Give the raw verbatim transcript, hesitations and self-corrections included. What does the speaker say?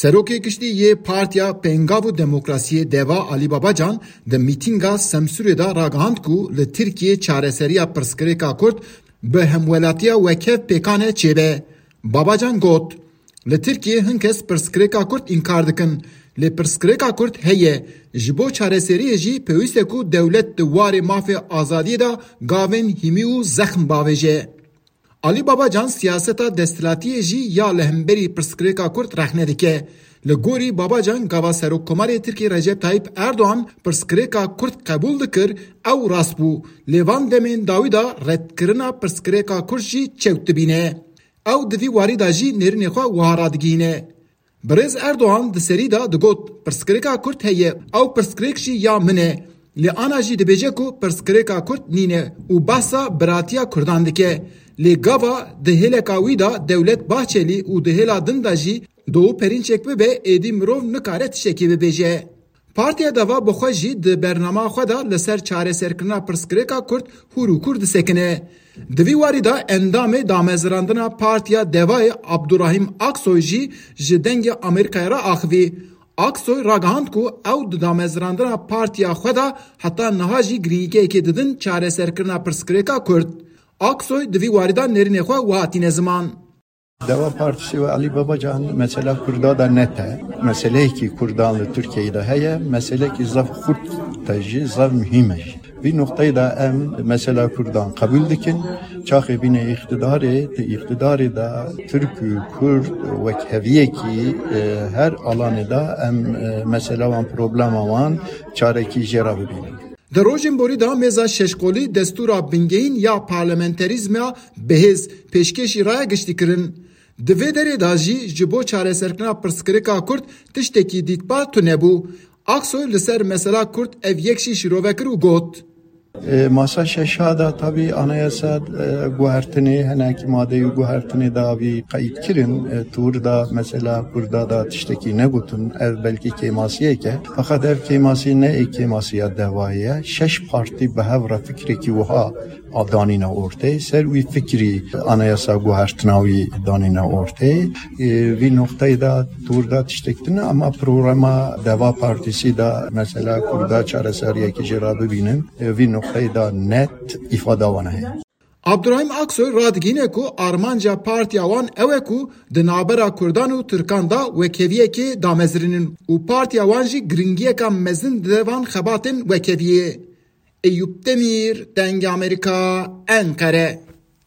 Serokê Giştî yê Partiya Pêngav û Demokrasiyê DEVA Alî Babacan di mîtînga Semsûrê de ragihand ku li Tirkiyê çareseriya pirsgirêka Kurd bi hemwelatiya wekhev pêkan e çêbe. Babacan got, Li Tirkiyê hin kes pirsgirêka Kurd înkar dikin. Lê pirsgirêka Kurd heye. Ji bo çareseriyê jî pêwîst e ku dewlet di warê mafê azadiyê de gavên hîmî û zexm bavêje. Alî Babacan siyaseta desthilatiyê jî ya li hemberî pirsgirêka Kurd rexne dike. Li gorî Babacan gava Serokkomarê Tirkiyê Recep Tayyip Erdogan pirsgirêka Kurd qebûl dikir, ew rast bû. Lê van demên dawî de redkirina pirsgirêka Kurd jî çewt dibîne. Ew di vî warî de jî nêrînê xwe wiha radigihîne. Birêz Erdogan di serî de digot, Pirsgirêka Kurd heye, ew pirsgirêk jî ya min e. Lê ana jî dibêje ku pirsgirêka Kurd nîne û behsa biratiya Kurdan dike. Lê gava di hêleka wî de Dewlet Bahçelî û di hêla din de jî Doğu Perinçek bibe, êdî mirov nikare tiştekî bibêje. Partiya DEVA bi xwe jî di bernama xwe de li ser çareserkirina pirsgirêka Kurd hûr û kûr disekine. Di vî warî de endamê damezrandina Partiya DEVAyê Abdurahîm Aksoy jî ji Dengê Amerîkayê re axivî. Aksoy ragihand ku ew di damezrandina partiya xwe de heta niha jî girîngiyekê didin çareserkirina pirsgirêka Kurd. Aksoy di vî warî de nêrînê xwe wiha tîne ziman. Deva Partisi ve Ali Babacan mesela Kurda da net e. Meseleyekî Kurdan li Türkiye'de heye, meseleyekî zaf xurt te jî, zaf mühim e jî. Vî noktayê de em mesela Kurdan qebûl dikin. Çaxê bîne îqtidarê, di îqtidarê de Türk û Kurd wek heviyekî, e, her alanê de em, e, mesela wan, problema wan çarekî jê re bibînin. Di rojên borî de mêza şeşqolî destûra bingehîn ya parlamenterîzma bihêz pêşkêşî raya giştî kirin. Di vê derê de jî ji bo çareserkirina pirsgirêka Kurd tiştekî dîtbar tune bû. Aksoy li ser mesela Kurd ev yek jî şîrove kir û got, E, masa şeşa da tabî anayasa, e, guhertinê, hinekî madeyê guhertinê da vî qeyd kirin. E, tûr da mesela Kurda da tiştekî negotin. Ev belkî kêmasiyek e. Fakat ev kêmasî ne ê kêmasiya DEVAyê ye. Şeş partî bi hev re fikrekî wiha a danîne ortê. Ser wî fikrî anayasa guhertina wî danîne ortê. E, vî nokteyê da tûr da tiştek tune, ama programa DEVA Partisi da mesela Kurda çareseriyekî jê re bibînin. E, vî nokteyê de net îfada wan heye. Abdurahîm Aksoy radigihîne ku armanca partiya wan ew e ku di navbera Kurdan û Tirkan de wekheviyekê damezrînin û partiya wan jî giringiyeka mezin dide van xebatên wekheviyê. Eyûp Demîr, Dengê Amerîka, Enqere.